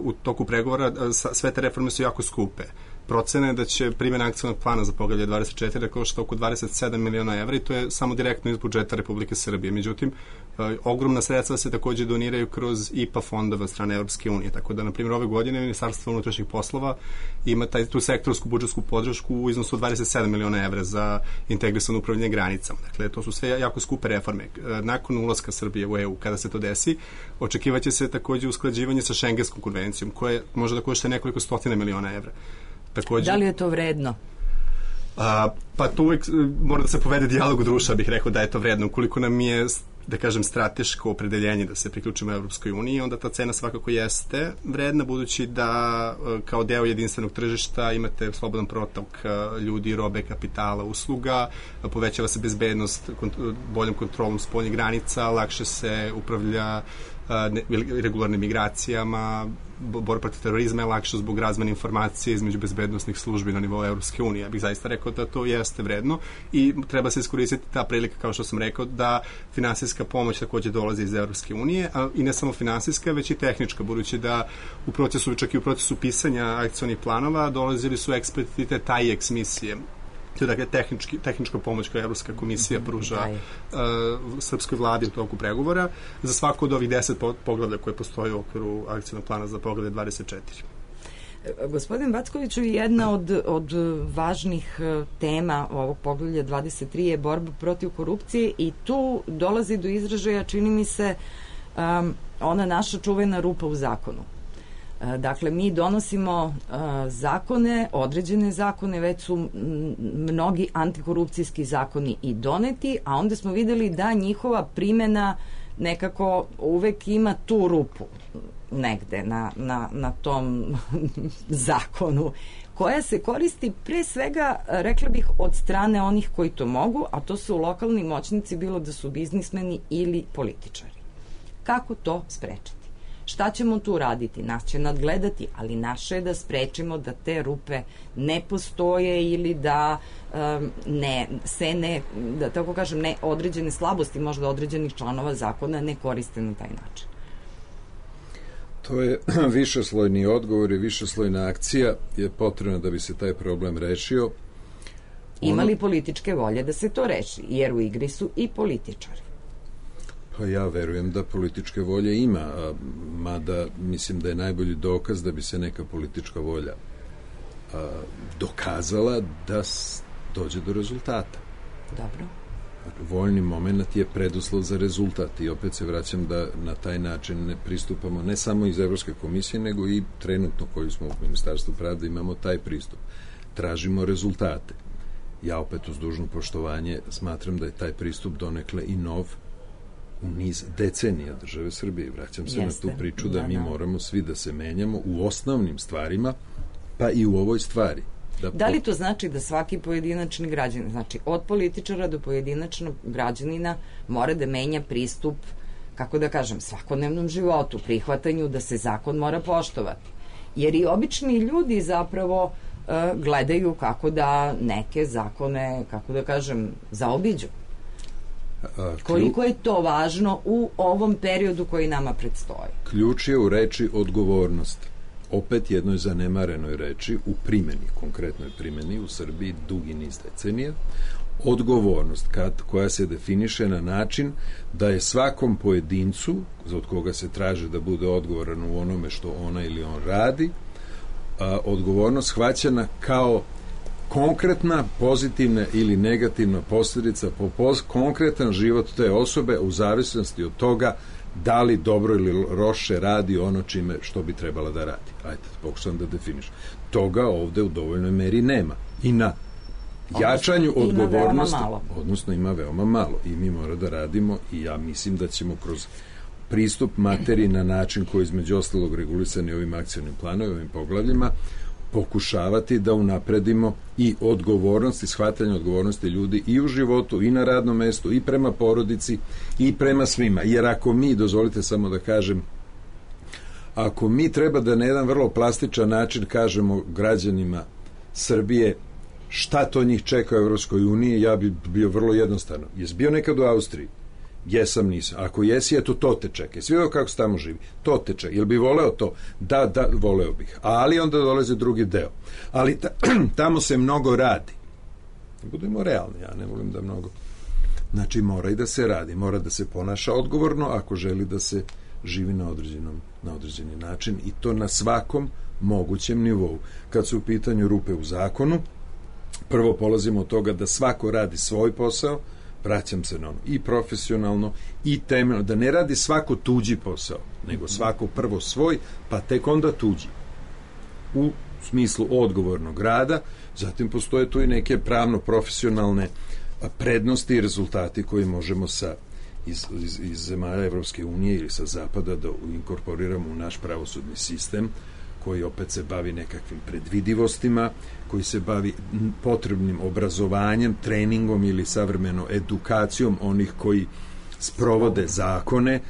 u toku pregovora sve te reforme su jako skupe. Procena je da će primjena akcionog plana za poglavlje dvadeset četiri da košta oko dvadeset sedam miliona evra i to je samo direktno iz budžeta Republike Srbije. Međutim, ogromna sredstva se takođe doniraju kroz I P A fondova strane Evropske unije. Tako da, na primjer, ove godine Ministarstvo unutrašnjih poslova ima taj, tu sektorsku budžetsku podršku u iznosu dvadeset sedam miliona evra za integrisano upravljanje granicama. Dakle, to su sve jako skupe reforme. Nakon ulaska Srbije u E U, kada se to desi, očekivaće se takođe usklađivanje sa Šengenskom konvencijom, koja može da košta nekoliko stotina miliona evra. Takođe, da li je to vredno? A, pa tu uvijek mora da se povede dijalog u društva, bih rekao da je to vredno. Ukoliko nam je, da kažem, strateško opredeljenje da se priključimo Evropskoj uniji, onda ta cena svakako jeste vredna, budući da kao deo jedinstvenog tržišta imate slobodan protok ljudi, robe, kapitala, usluga, povećava se bezbednost boljom kontrolom spoljnih granica, lakše se upravlja regularnim migracijama, borba protiv terorizma je lakše zbog razmene informacije između bezbednosnih službi na nivou Evropske unije. Ja bih zaista rekao da to jeste vredno i treba se iskoristiti ta prilika, kao što sam rekao, da finansijska pomoć takođe dolazi iz Evropske unije, a i ne samo finansijska, već i tehnička, budući da u procesu, čak i u procesu pisanja akcionih planova dolazili su eksperti te T A I E X misije. To je dakle tehnički, tehnička pomoć koja Evropska komisija pruža uh, srpskoj vladi u toku pregovora za svako od ovih deset poglavlja koje postoje u okviru akcijnog plana za poglavlje dvadeset četiri. Gospodin Backoviću, jedna od, od važnih tema ovog poglavlja dvadeset tri je borba protiv korupcije i tu dolazi do izražaja, čini mi se, um, ona naša čuvena rupa u zakonu. Dakle, mi donosimo uh, zakone, određene zakone, već su m, mnogi antikorupcijski zakoni i doneti, a onda smo videli da njihova primjena nekako uvek ima tu rupu negde na, na, na tom zakonu, koja se koristi pre svega, rekla bih, od strane onih koji to mogu, a to su lokalni moćnici, bilo da su biznismeni ili političari. Kako to sprečiti? Šta ćemo tu raditi? Nas će nadgledati, ali naše je da sprečimo da te rupe ne postoje ili da um, ne, se ne, da tako kažem, ne određene slabosti možda određenih članova zakona ne koriste na taj način. To je višeslojni odgovor i višeslojna akcija je potrebna da bi se taj problem rešio. Ima li političke volje da se to reši? Jer u igri su i političari. Pa ja verujem da političke volje ima, a, mada mislim da je najbolji dokaz da bi se neka politička volja a, dokazala da s, dođe do rezultata. Dobro. Voljni moment je preduslov za rezultat i opet se vraćam da na taj način ne pristupamo ne samo iz Evropske komisije, nego i trenutno koji smo u Ministarstvu pravde imamo taj pristup. Tražimo rezultate. Ja opet uz dužno poštovanje smatram da je taj pristup donekle i nov u niz decenija države Srbije. Vraćam se Jeste. na tu priču da, Da, mi da. moramo svi da se menjamo u osnovnim stvarima, pa i u ovoj stvari. Da, Da li to znači da svaki pojedinačni građanin, znači od političara do pojedinačnog građanina, mora da menja pristup, kako da kažem, svakodnevnom životu, prihvatanju da se zakon mora poštovati? Jer i obični ljudi zapravo e, gledaju kako da neke zakone, kako da kažem, zaobiđu. a, klju- Koliko je to važno u ovom periodu koji nama predstoji? Ključ je u reči odgovornost. Opet jednoj zanemarenoj reči u primjeni, konkretnoj primjeni u Srbiji dugi niz decenija. Odgovornost kad, koja se definiše na način da je svakom pojedincu, od koga se traži da bude odgovoran u onome što ona ili on radi, a, odgovornost shvaćena kao konkretna, pozitivna ili negativna posljedica po pos, konkretan život te osobe u zavisnosti od toga da li dobro ili loše radi ono čime što bi trebala da radi. Ajde, pokušam da definiš. Toga ovde u dovoljnoj meri nema. I na jačanju Odnosno, ima odgovornosti, veoma malo. odnosno ima veoma malo i mi mora da radimo i ja mislim da ćemo kroz pristup materiji na način koji između ostalog regulisan i ovim akcionim planovima, ovim poglavljima, pokušavati da unapredimo i odgovornost i shvatanje odgovornosti ljudi i u životu i na radnom mestu i prema porodici i prema svima. Jer ako mi, dozvolite samo da kažem, ako mi treba da na jedan vrlo plastičan način kažemo građanima Srbije šta to njih čeka u Evropskoj uniji, ja bi bio vrlo jednostavno. Jesi bio nekad u Austriji? Jesam, nisam. Ako jesi, eto, to te čeka. Jesi vidio kako se tamo živi? To te čeka. Jel bi voleo to? Da, da, voleo bih. Ali onda dolazi drugi deo. Ali ta, tamo se mnogo radi. Budemo realni, ja ne volim da mnogo. Znači, mora i da se radi. Mora da se ponaša odgovorno ako želi da se živi na određenom, na određeni način i to na svakom mogućem nivou. Kad su u pitanju rupe u zakonu, prvo polazimo od toga da svako radi svoj posao, vraćam se na ono, i profesionalno i temeljno, da ne radi svako tuđi posao, nego svako prvo svoj, pa tek onda tuđi. U smislu odgovornog rada, zatim postoje tu i neke pravno-profesionalne prednosti i rezultati koji možemo sa iz, iz, iz zemalja Evropske unije ili sa zapada da inkorporiramo u naš pravosudni sistem, koji opet se bavi nekakvim predvidivostima, koji se bavi potrebnim obrazovanjem, treningom ili savremeno edukacijom onih koji sprovode zakone,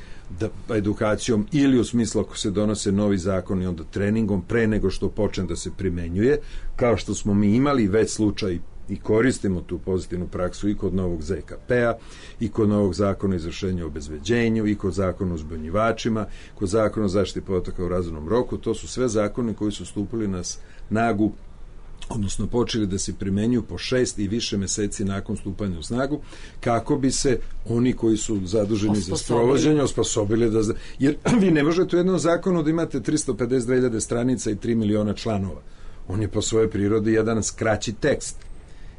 da, edukacijom ili u smislu ako se donose novi zakoni, onda treningom pre nego što počne da se primenjuje, kao što smo mi imali već slučaj i koristimo tu pozitivnu praksu i kod novog Z K P-a, i kod novog zakona o izvršenju obezbeđenju, i kod zakona o uzbunjivačima, kod zakona o zaštiti podataka u razumnom roku. To su sve zakoni koji su stupili na snagu, odnosno počeli da se primenjuju po šest i više meseci nakon stupanja u snagu, kako bi se oni koji su zaduženi za sprovođenje osposobili da... Jer vi ne možete u jednom zakonu da imate tristo pedeset dve hiljade stranica i tri miliona članova. On je po svojoj prirodi jedan skraći tekst.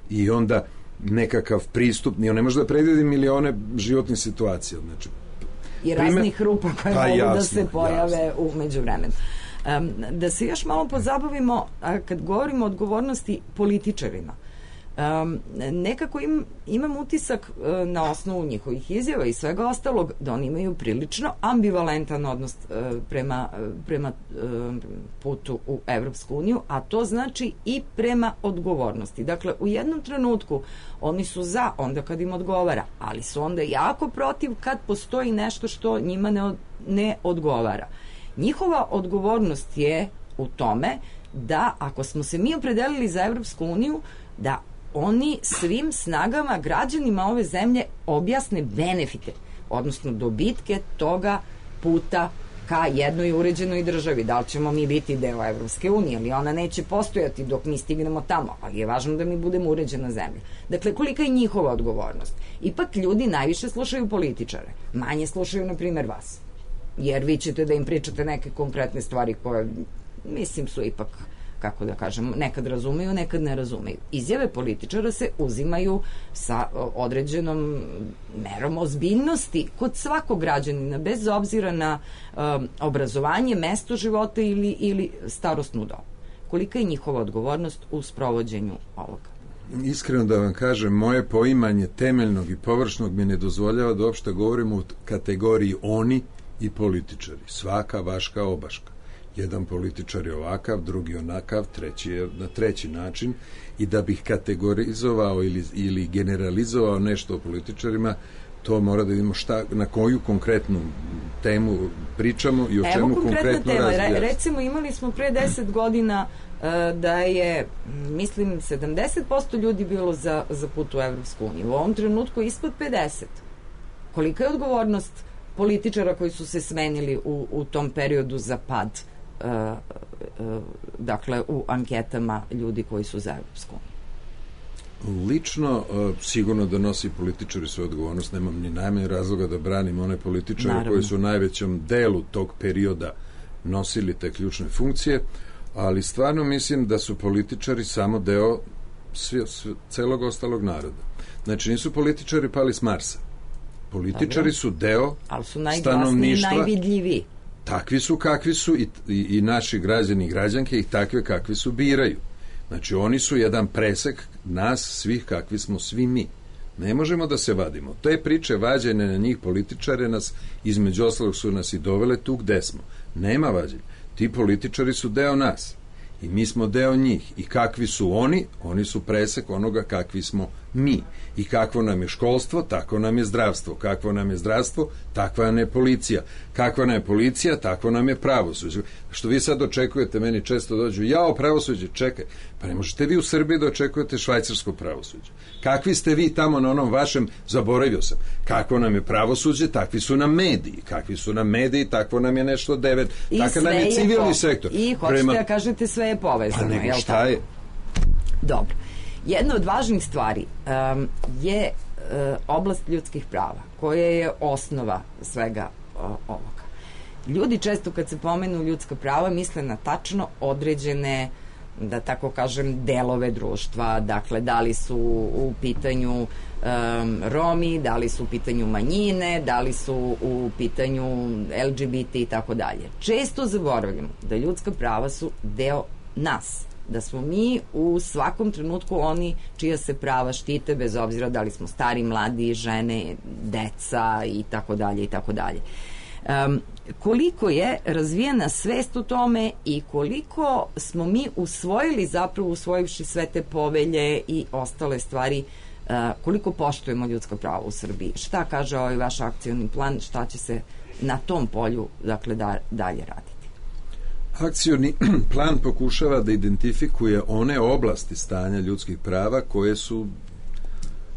I onda nekakav pristup, on ne može da predvidi milione životnih situacija. Znači, i raznih primer, rupa koje pa mogu jasno, da se pojave jasno. u međuvremenu. Um, da se još malo pozabavimo, a kad govorimo o odgovornosti političarima, um, nekako im, imam utisak uh, na osnovu njihovih izjava i svega ostalog da oni imaju prilično ambivalentan odnos uh, prema, uh, prema uh, putu u Evropsku uniju, a to znači i prema odgovornosti. Dakle, u jednom trenutku oni su za onda kad im odgovara, ali su onda jako protiv kad postoji nešto što njima ne, od, ne odgovara. Njihova odgovornost je u tome da ako smo se mi opredelili za Evropsku uniju, da oni svim snagama građanima ove zemlje objasne benefite, odnosno dobitke toga puta ka jednoj uređenoj državi. Da li ćemo mi biti deo Evropske unije, ali ona neće postojati dok mi stignemo tamo, ali je važno da mi budemo uređena zemlja. Dakle, kolika je njihova odgovornost? Ipak ljudi najviše slušaju političare, manje slušaju, na primjer, vas. Jer vi ćete da im pričate neke konkretne stvari koje, mislim, su ipak, kako da kažem, nekad razumeju, nekad ne razumeju. Izjave političara se uzimaju sa određenom merom ozbiljnosti kod svakog građanina, bez obzira na um, obrazovanje, mesto života ili, ili starosnu dobu. Kolika je njihova odgovornost u sprovođenju ovoga? iskreno da vam kažem, moje poimanje temeljnog i površnog mi ne dozvoljava da uopšte govorimo u kategoriji oni i političari. Svaka vaška obaška. Jedan političar je ovakav, drugi onakav, treći je na treći način, i da bih kategorizovao ili, ili generalizovao nešto o političarima, to mora da vidimo šta, na koju konkretnu temu pričamo i o Evo čemu konkretna konkretno tema. razvijamo. Recimo, imali smo pre deset godina uh, da je, mislim, sedamdeset posto ljudi bilo za, za put u Evropsku uniju. U ovom trenutku ispod pedeset. Kolika je odgovornost političara koji su se smenili u, u tom periodu za pad, uh, uh, dakle, u anketama ljudi koji su za Evropsku uniju? Lično, uh, sigurno da nosi političari svoju odgovornost, nemam ni najmanje razloga da branim one političare Naravno. koji su u najvećem delu tog perioda nosili te ključne funkcije, ali stvarno mislim da su političari samo deo svi, svi, celog ostalog naroda. Znači, nisu političari pali s Marsa. Političari Dobro. su deo ali su stanovništva. Najvidljiviji. Takvi su kakvi su i, i, i naši građani i građanke ih takve kakvi su biraju. Znači, oni su jedan presek nas svih kakvi smo svi mi. Ne možemo da se vadimo. Te priče vađene na njih političare nas, između ostalog, su nas i dovele tu gde smo. Nema vađenja. Ti političari su deo nas. I mi smo deo njih. I kakvi su oni? Oni su presek onoga kakvi smo mi. I kakvo nam je školstvo, tako nam je zdravstvo. Kakvo nam je zdravstvo, takva nam je policija. Kakva nam je policija, takvo nam je pravosuđe. Što vi sad očekujete, meni često dođu, jao, pravosuđe, čekaj. Pa ne možete vi u Srbiji da očekujete švajcarsko pravosuđe. Kakvi ste vi tamo na onom vašem, zaboravio sam. Kakvo nam je pravosuđe, takvi su nam mediji. Kakvi su nam mediji, takvo nam je nešto devet. Takav nam je civilni je sektor. I hoćete Prema... da kažete sve je povezano. Pa nego jel šta tako? je? Dobro. Jedna od važnih stvari um, je uh, oblast ljudskih prava, koja je osnova svega uh, ovoga. Ljudi često kad se pomenu ljudska prava misle na tačno određene, da tako kažem, delove društva. Dakle, da li su u pitanju um, Romi, da li su u pitanju manjine, da li su u pitanju L G B T i tako dalje. Često zaboravljamo da ljudska prava su deo nas, da smo mi u svakom trenutku oni čija se prava štite, bez obzira da li smo stari, mladi, žene, deca i tako dalje i tako dalje. Um, koliko je razvijena svest o tome i koliko smo mi usvojili, zapravo usvojivši sve te povelje i ostale stvari, uh, koliko poštujemo ljudska prava u Srbiji. Šta kaže ovaj vaš akcioni plan, šta će se na tom polju, dakle, da, dalje raditi? Akcioni plan pokušava da identifikuje one oblasti stanja ljudskih prava koje su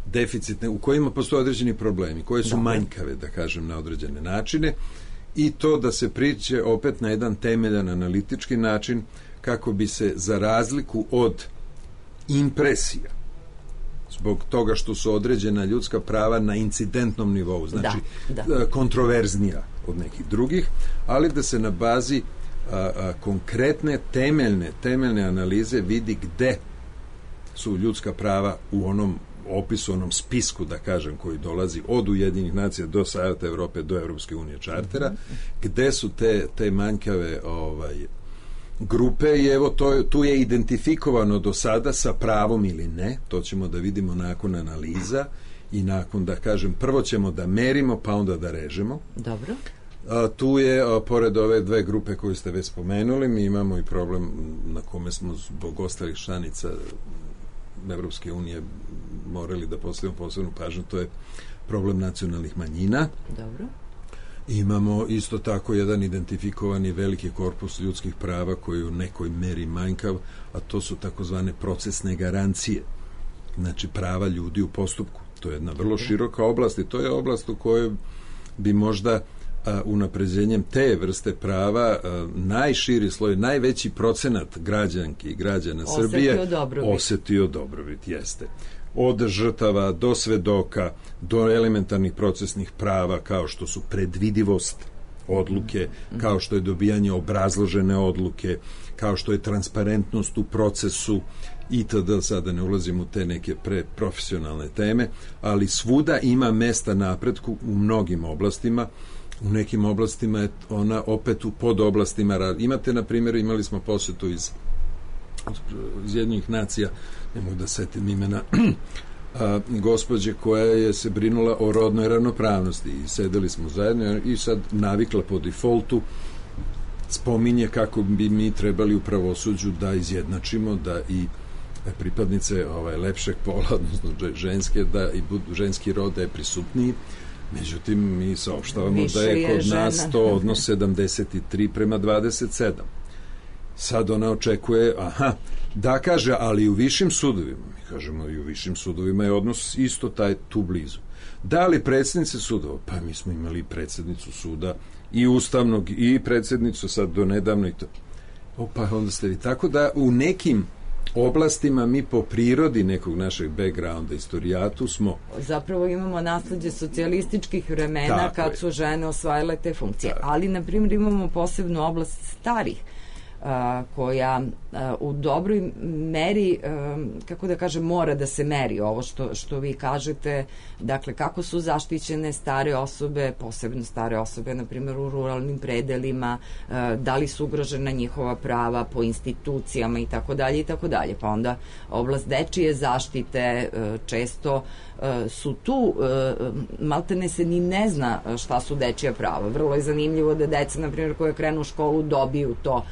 deficitne, u kojima postoje određeni problemi, koje su Dobre. manjkave, da kažem, na određene načine, i to da se priče opet na jedan temeljan analitički način, kako bi se, za razliku od impresija, zbog toga što su određena ljudska prava na incidentnom nivou, znači da, da. kontroverznija od nekih drugih, ali da se na bazi a, a, konkretne temeljne, temeljne analize vidi gde su ljudska prava u onom opisu, onom spisku, da kažem, koji dolazi od Ujedinjenih nacija do Saveta Evrope, do Evropske unije čartera, mm-hmm. gde su te, te manjkave ovaj, grupe, i evo to, tu je identifikovano do sada sa pravom ili ne, to ćemo da vidimo nakon analiza i nakon, da kažem, prvo ćemo da merimo, pa onda da režemo. Dobro. A, tu je, a, pored ove dve grupe koje ste već spomenuli, mi imamo i problem na kome smo zbog ostalih članica Evropske unije morali da postavimo posebnu pažnju, to je problem nacionalnih manjina. Dobro. Imamo isto tako jedan identifikovani veliki korpus ljudskih prava koji je u nekoj meri manjkav, a to su takozvane procesne garancije. Znači, prava ljudi u postupku. To je jedna vrlo široka oblast i to je oblast u kojoj bi možda a, unapređenjem te vrste prava a, najširi sloj, najveći procenat građanki i građana osetio Srbije dobrobit. osetio dobrobit, jeste. Od žrtava do svedoka, do elementarnih procesnih prava, kao što su predvidivost odluke, mm. kao što je dobijanje obrazložene odluke, kao što je transparentnost u procesu itd. Sada ne ulazim u te neke preprofesionalne teme, ali svuda ima mesta napretku u mnogim oblastima. U nekim oblastima je ona opet u podoblastima. Imate, na primjer, imali smo posetu iz iz jednih nacija, ne mogu da setim imena, a, gospođe koja je se brinula o rodnoj ravnopravnosti i sedeli smo zajedno i sad navikla po defaultu spominje kako bi mi trebali u pravosuđu da izjednačimo da i pripadnice ovaj, lepšeg pola, odnosno ženske, da i budu, ženski rod da je prisutniji. Međutim, mi saopštavamo da je kod je nas to odnos sedamdeset tri prema dvadeset sedam. Sad ona očekuje, aha, da kaže, ali u višim sudovima, mi kažemo i u višim sudovima je odnos isto taj tu blizu. Da li predsjednice sudova? Pa mi smo imali predsjednicu suda i ustavnog i predsjednicu sad do nedavno i to. O, pa onda ste vi. Tako da u nekim oblastima mi po prirodi nekog našeg backgrounda, istorijatu smo... Zapravo imamo nasleđe socijalističkih vremena tako kad je. su žene osvajale te funkcije. Tako. Ali, na primjer, imamo posebnu oblast starih a, koja a, u dobroj meri, a, kako da kažem, mora da se meri ovo što, što vi kažete, dakle, kako su zaštićene stare osobe, posebno stare osobe, na primjer, u ruralnim predelima, a, da li su ugrožena njihova prava po institucijama i tako dalje i tako dalje. Pa onda oblast dečije zaštite a, često a, su tu, a, maltene se ni ne zna šta su dečija prava. Vrlo je zanimljivo da deca, na primjer, koje krenu u školu dobiju to,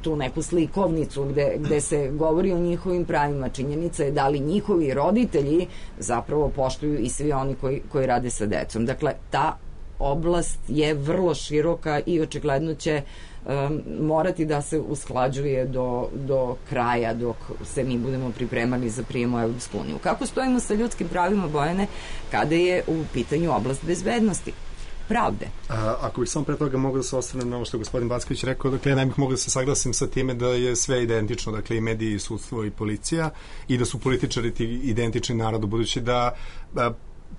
tu neku slikovnicu gde, gde se govori o njihovim pravima. Činjenica je da li njihovi roditelji zapravo poštuju i svi oni koji, koji rade sa decom. Dakle, ta oblast je vrlo široka i očigledno će um, morati da se usklađuje do, do kraja dok se mi budemo pripremali za prijem u Evropsku uniju. Kako stojimo sa ljudskim pravima, Bojane, kada je u pitanju oblast bezbednosti? Pravde. A, ako bih samo pre toga mogu da se osvrnem na ovo što je gospodin Backović rekao, dakle ja ne bih mogao da se saglasim sa time da je sve identično, dakle i mediji, sudstvo i policija, i da su političari ti identični narodu, budući da a,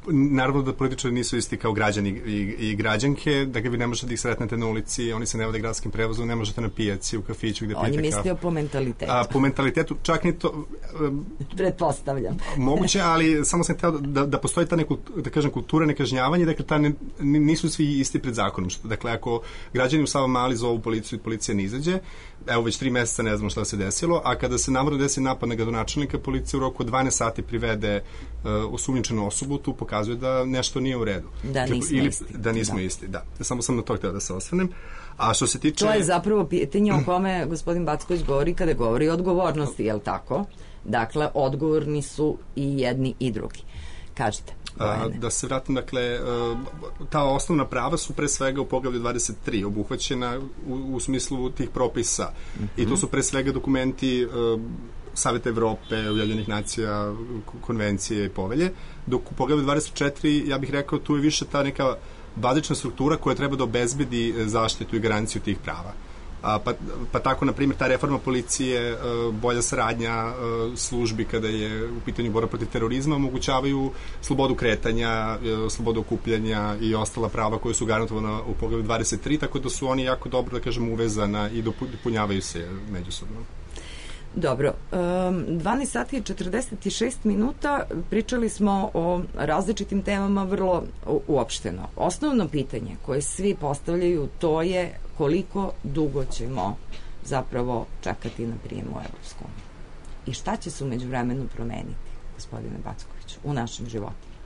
naravno da političari nisu isti kao građani i, i građanke, dakle vi ne možete da ih sretnete na ulici, oni se ne vode gradskim prevozom, ne možete na pijaci, u kafiću gde pijete kafu. Oni mislio po mentalitetu. A, po mentalitetu, čak ni to... Um, Pretpostavljam. Moguće, ali samo sam hteo da, da postoji ta neku, da kažem, kultura nekažnjavanja, dakle ta ne, nisu svi isti pred zakonom. Dakle, ako građani u Savamali zovu policiju i policija ne izađe, evo već tri meseca ne znamo šta se desilo, a kada se namerno desi napad na gradonačelnika, policija u roku od dvanaest sati privede uh, osumnjičenu osobu, tu pokazuje da nešto nije u redu. Da nismo Ili, isti. Da nismo da. isti, da. Samo sam na to hteo da se osvrnem. A što se tiče... To je zapravo pitanje o kome gospodin Backović govori kada govori o odgovornosti, je li tako? Dakle, odgovorni su i jedni i drugi. Kažete. A, da se vratim, dakle, ta osnovna prava su pre svega u poglavlju dvadeset tri obuhvaćena u, u smislu tih propisa. Mm-hmm. I to su pre svega dokumenti uh, Saveta Evrope, Ujedinjenih nacija, konvencije i povelje, dok u poglavlju dvadeset četiri, ja bih rekao, tu je više ta neka bazična struktura koja treba da obezbedi zaštitu i garanciju tih prava. A, pa, pa tako, na primjer, ta reforma policije, bolja saradnja službi kada je u pitanju borba protiv terorizma, omogućavaju slobodu kretanja, slobodu okupljanja i ostala prava koje su garantovana u poglavlju dvadeset tri, tako da su oni jako dobro, da kažem, uvezana i dopunjavaju se međusobno. Dobro, dvanaest sati i četrdeset šest minuta, pričali smo o različitim temama vrlo uopšteno. Osnovno pitanje koje svi postavljaju to je koliko dugo ćemo zapravo čekati na prijem u Evropsku uniju. I šta će se u međuvremenu promeniti, gospodine Backoviću, u našim životima?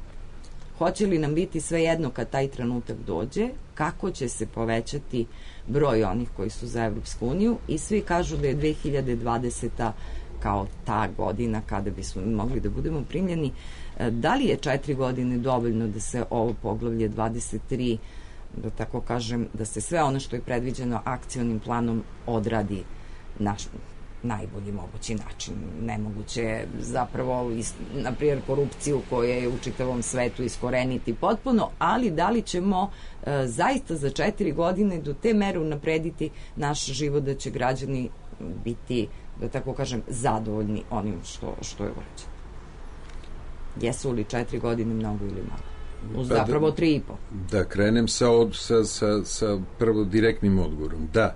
Hoće li nam biti sve jedno kad taj trenutak dođe, kako će se povećati broj onih koji su za Evropsku uniju, i svi kažu da je dve hiljade dvadeseta kao ta godina kada bismo mogli da budemo primljeni. Da li je četiri godine dovoljno da se ovo poglavlje dvadeset tri, da tako kažem, da se sve ono što je predviđeno akcionim planom odradi naš najbolji mogući način? Nemoguće je zapravo, na primjer, korupciju koja je u čitavom svetu iskoreniti potpuno, ali da li ćemo e, zaista za četiri godine do te mere unaprediti naš život da će građani biti, da tako kažem, zadovoljni onim što, što je urađeno? Jesu li četiri godine mnogo ili malo? Uz pa zapravo tri i po. Da krenem sa, od, sa, sa, sa prvo direktnim odgovorom. Da.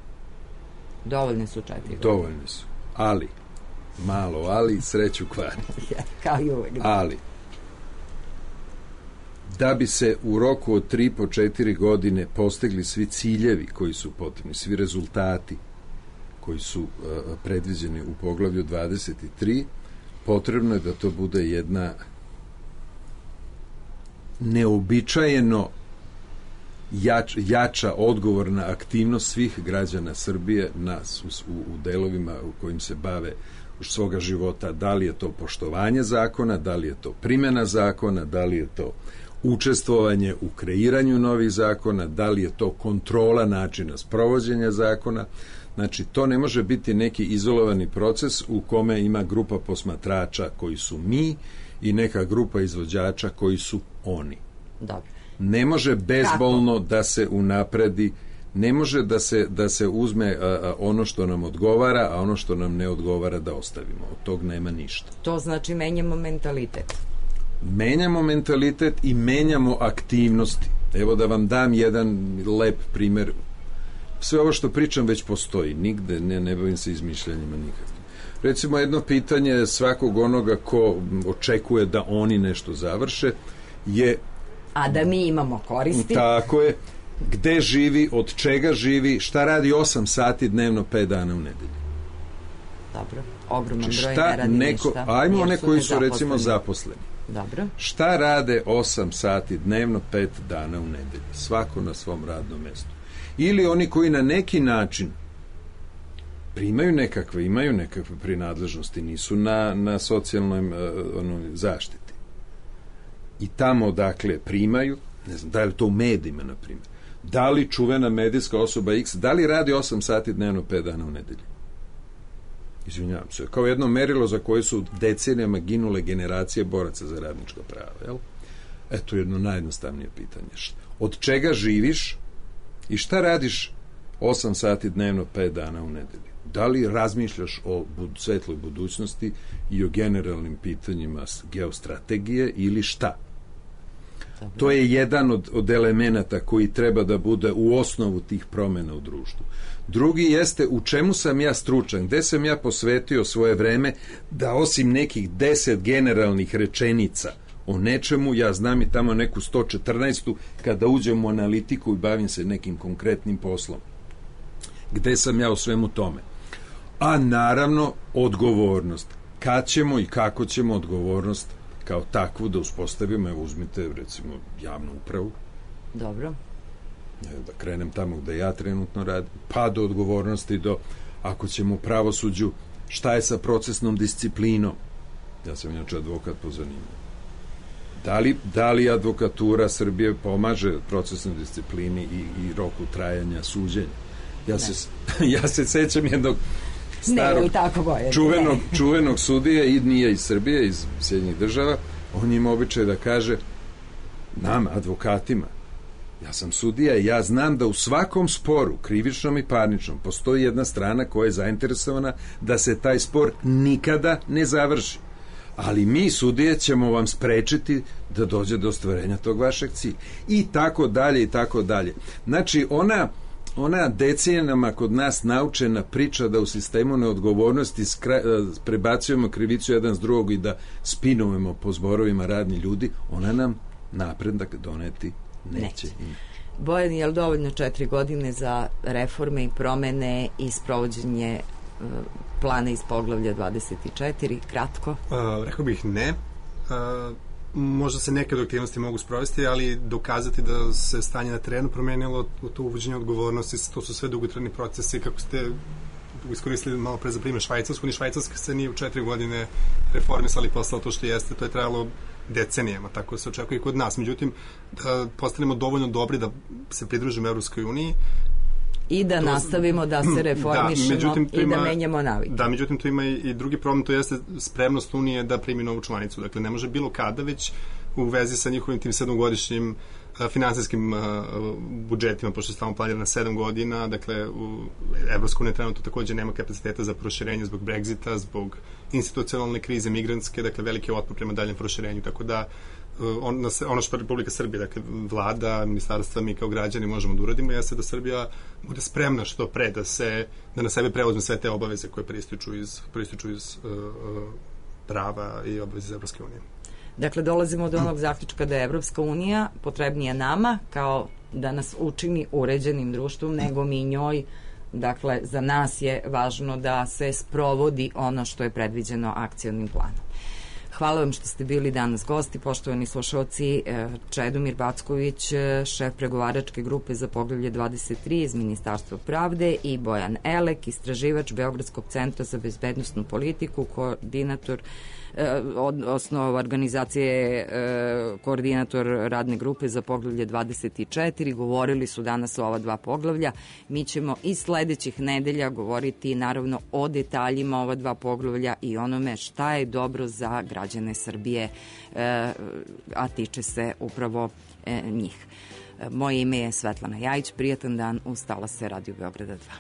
Dovoljne su četiri godine. Dovoljne su. Ali, malo ali, sreću kvari. Kao i uvek. Ali, da bi se u roku od tri po četiri godine postigli svi ciljevi koji su potrebni, svi rezultati koji su uh, predviđeni u poglavlju dvadeset tri, potrebno je da to bude jedna neobičajeno jač, jača odgovorna aktivnost svih građana Srbije na, u, u delovima u kojim se bave svoga života, da li je to poštovanje zakona, da li je to primjena zakona, da li je to učestvovanje u kreiranju novih zakona, da li je to kontrola načina sprovođenja zakona. Znači, to ne može biti neki izolovani proces u kome ima grupa posmatrača koji su mi i neka grupa izvođača koji su oni. Dobro. Ne može bezbolno Kako? da se unapredi, ne može da se, da se uzme a, a, ono što nam odgovara, a ono što nam ne odgovara da ostavimo. Od tog nema ništa. To znači menjamo mentalitet. Menjamo mentalitet i menjamo aktivnosti. Evo da vam dam jedan lep primer. Sve ovo što pričam već postoji. Nigde ne, ne bavim se izmišljanjima nikakvim. Recimo jedno pitanje svakog onoga ko očekuje da oni nešto završe je... A da mi imamo koristi. Tako je. Gde živi, od čega živi, šta radi osam sati dnevno, pet dana u nedelji. Dobro. Ogroman Či broj šta ne radi neko, ništa. Ajmo one koji su nezaposleni. recimo zaposleni. Dobro. Šta rade osam sati dnevno, pet dana u nedelji? Svako na svom radnom mestu. Ili oni koji na neki način primaju nekakve, imaju nekakve prinadležnosti, nisu na, na socijalnoj uh, ono, zaštiti. I tamo, dakle, primaju, ne znam, da li to u medijima, na primjer, da li čuvena medijska osoba X, da li radi osam sati dnevno, pet dana u nedelji? Izvinjavam se, kao jedno merilo za koje su decenijama ginule generacije boraca za radnička prava, jel? Eto jedno najjednostavnije pitanje. Od čega živiš i šta radiš osam sati dnevno, pet dana u nedelji? Da li razmišljaš o bud, svetloj budućnosti i o generalnim pitanjima geostrategije ili šta? Dobro. To je jedan od, od elemenata koji treba da bude u osnovu tih promjena u društvu. Drugi jeste u čemu sam ja stručan, gde sam ja posvetio svoje vreme da osim nekih deset generalnih rečenica o nečemu, ja znam i tamo neku sto četrnaestu kada uđem u analitiku i bavim se nekim konkretnim poslom. Gde sam ja u svemu tome? A naravno odgovornost. Kad ćemo i kako ćemo odgovornost kao takvu da uspostavimo? Evo uzmite recimo javnu upravu. Dobro. Da krenem tamo gde ja trenutno radim, pa do odgovornosti do, ako ćemo u pravosuđu, šta je sa procesnom disciplinom? Ja sam inače advokat po zanimanju. Da li, da li advokatura Srbije pomaže procesnoj disciplini i, i roku trajanja suđenja? Ja se, ja se sećam jednog starog, ne, čuvenog, čuvenog sudije, i nije iz Srbije, iz Sjedinjenih država, on ima običaj da kaže nam, advokatima, ja sam sudija i ja znam da u svakom sporu, krivičnom i parničnom, postoji jedna strana koja je zainteresovana da se taj spor nikada ne završi. Ali mi, sudije, ćemo vam sprečiti da dođe do ostvarenja tog vašeg cilja. I tako dalje, i tako dalje. Znači, ona, ona decenijama kod nas naučena priča da u sistemu neodgovornosti skra, prebacujemo krivicu jedan s drugog i da spinujemo po zborovima radni ljudi, ona nam napredak doneti neće. neće. Bojan, je li dovoljno četiri godine za reforme i promene i sprovođenje uh, plana iz poglavlja dvadeset četiri? Kratko. Uh, rekao bih ne. Uh, možda se neke aktivnosti mogu sprovesti, ali dokazati da se stanje na terenu promenilo, to uvođenje odgovornosti, to su sve dugotrajni procesi, kako ste iskoristili malo pre za primjer Švajcarsku, ni Švajcarska se nije u četiri godine reformisali, postalo to što jeste, to je trajalo decenijama, tako se očekuje i kod nas. Međutim, da postanemo dovoljno dobri da se pridružimo Evropskoj uniji i da to, nastavimo da se reformišemo da, i ima, da menjamo navike. Da, međutim, to ima i, i drugi problem, to jeste spremnost Unije da primi novu članicu. Dakle, ne može bilo kada, već u vezi sa njihovim tim sedmogodišnjim finansijskim uh, budžetima, pošto je stalno planirano na sedam godina, dakle, u Evropska unija trenutno takođe nema kapaciteta za proširenje zbog Brexita, zbog institucionalne krize, migrantske, dakle, veliki otpor prema daljem proširenju, tako da uh, on, ono što Republika Srbije, dakle, vlada, ministarstva, mi kao građani možemo da uradimo, jeste da Srbija bude spremna što pre da se, da na sebe preuzme sve te obaveze koje prističu iz, prističu iz uh, uh, prava i obaveze iz Evropske unije. Dakle, dolazimo do onog zaključka da je Evropska unija potrebnija nama kao da nas učini uređenim društvom nego mi njoj Dakle, za nas je važno da se sprovodi ono što je predviđeno akcionim planom. Hvala vam što ste bili danas gosti, poštovani slušalci. Čedomir Backović, šef pregovaračke grupe za poglavlje dvadeset tri iz Ministarstva pravde, i Bojan Elek, istraživač Beogradskog centra za bezbednosnu politiku, koordinator odnosno organizacije koordinator radne grupe za poglavlje dvadeset četiri, govorili su danas o ova dva poglavlja. Mi ćemo i sledećih nedelja govoriti naravno o detaljima ova dva poglavlja i onome šta je dobro za građane Srbije, a tiče se upravo njih. Moje ime je Svetlana Jajić, prijatan dan uz talase Radio Beograda dva.